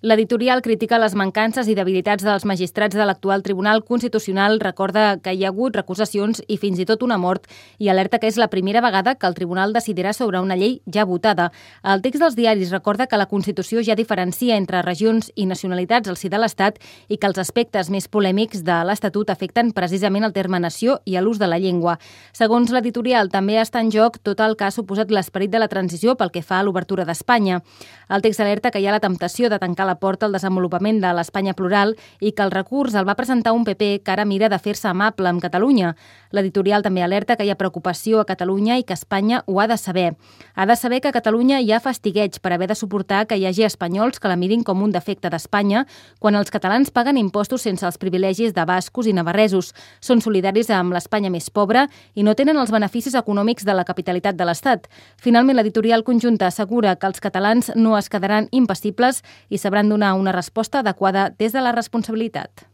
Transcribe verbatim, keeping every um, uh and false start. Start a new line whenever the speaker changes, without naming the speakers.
L'editorial critica les mancances i debilitats dels magistrats de l'actual Tribunal Constitucional, recorda que hi ha hagut recusacions i fins i tot una mort i alerta que és la primera vegada que el tribunal decidirà sobre una llei ja votada. El text dels diaris recorda que la Constitució ja diferencia entre regions i nacionalitats al si de l'Estat i que els aspectes més polèmics de l'Estatut afecten precisament el terme nació i l'ús de la llengua. Segons l'editorial, també està en joc tot el que ha suposat l'esperit de la transició pel que fa a l'obertura d'Espanya. El text alerta que hi ha la temptació de tancar la porta al desenvolupament de l'Espanya plural i que el recurs el va presentar un P P que ara mira de fer-se amable amb Catalunya. L'editorial també alerta que hi ha preocupació a Catalunya i que Espanya ho ha de saber. Ha de saber que a Catalunya hi ha fastigueig per haver de suportar que hi hagi espanyols que la mirin com un defecte d'Espanya quan els catalans paguen impostos sense els privilegis de bascos i navarresos. Són solidaris amb l'Espanya més pobra i no tenen els beneficis econòmics de la capitalitat de l'Estat. Finalment, l'editorial conjunta assegura que els catalans no es quedaran impassibles i sabran donar una resposta adequada des de la responsabilitat.